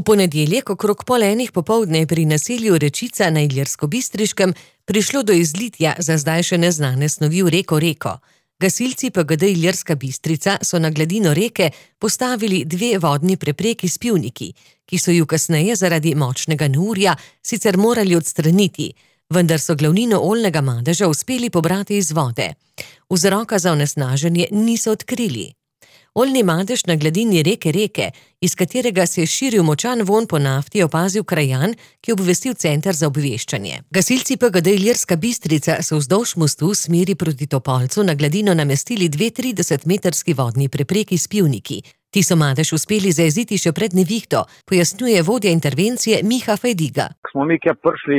V ponedeljek okrog 12:30 popoldne je pri naselju Rečica na Ilirskobistriškem prišlo do izlitja za zdaj še neznane snovi v reko. Gasilci PGD Ilirska Bistrica so na gladino reke postavili 2 vodni prepreki s pivniki, ki so ju kasneje zaradi močnega neurja sicer morali odstraniti, vendar so glavnino oljnega madeža uspeli pobrati iz vode. Vzroka za onesnaženje niso odkrili. Oljni madež na gladini reke, iz katerega se je širil močan vonj po nafti, je opazil krajan, ki je obvestil center za obveščanje. Gasilci PGD Ilirska Bistrica so vzdolž mostu v smeri proti Topolcu na gladino namestili 2 30-metrski vodni prepreki s pivniki. Ti so madež uspeli zajeziti še pred nevihto, pojasnjuje vodja intervencije Miha Fajdiga. Ko smo mi kje prišli,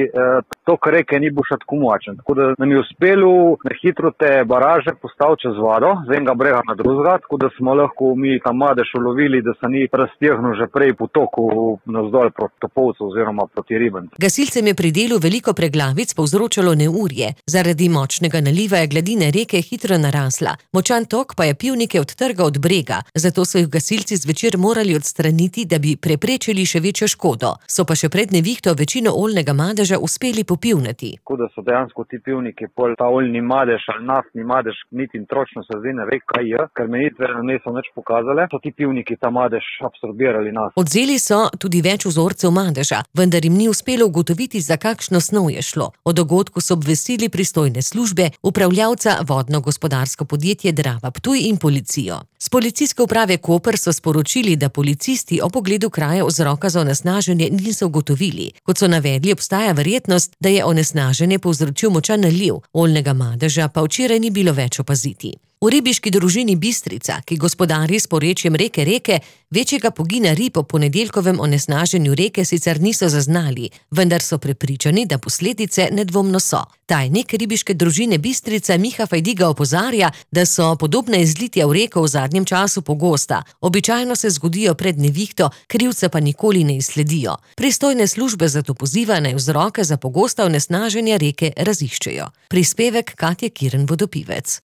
tok reke ni bil še tako močen. Tako da nam je uspelo na hitro te baraže postaviti čez vodo, z enega brega na drugega, tako da smo lahko mi ta madež ulovili, da se ni raztegnil že prej po toku navzdol proti Topolcu oziroma proti Ribencu. Gasilcem je pri delu veliko preglavic povzročalo neurje. Zaradi močnega naliva je gladina reke hitro narasla. Močan tok pa je pivnike odtrgal od brega, zato so jih gasilci zvečer morali odstraniti, da bi preprečili še večjo škodo. So pa še pred nevihto večino oljnega madeža uspeli popivnati. Tako da so dejansko ti pivniki, pol ta oljni madež ali naftni madež, niti točno se zdaj ne ve, kaj je, ker menitve niso nič pokazale, so ti pivniki ta madež absorbirali naft. Odzeli so tudi več vzorcev madeža, vendar jim ni uspelo ugotoviti, za kakšno snov je šlo. O dogodku so obvestili pristojne službe, upravljavca vodno-gospodarsko podjetje Drava Ptuj in policijo. S policijske uprave Koper so sporočili, da policisti o pogledu kraja vzroka za onesnaženje niso ugotovili. Kot so navedli, obstaja verjetnost, da je onesnaženje povzročil močan naliv, oljnega madeža pa včeraj ni bilo več opaziti. V ribiški družini Bistrica, ki gospodari s porečjem reke, večjega pogina rib po ponedeljkovem onesnaženju reke sicer niso zaznali, vendar so prepričani, da posledice nedvomno so. Tajnik ribiške družine Bistrica Miha Fajdiga opozarja, da so podobna izlitja v reko v zadnjem času pogosta. Običajno se zgodijo pred nevihto, krivca pa nikoli ne izsledijo. Pristojne službe zato poziva, naj vzroke za pogosta onesnaženja reke raziščejo. Prispevek Katje Kirn Vodopivec.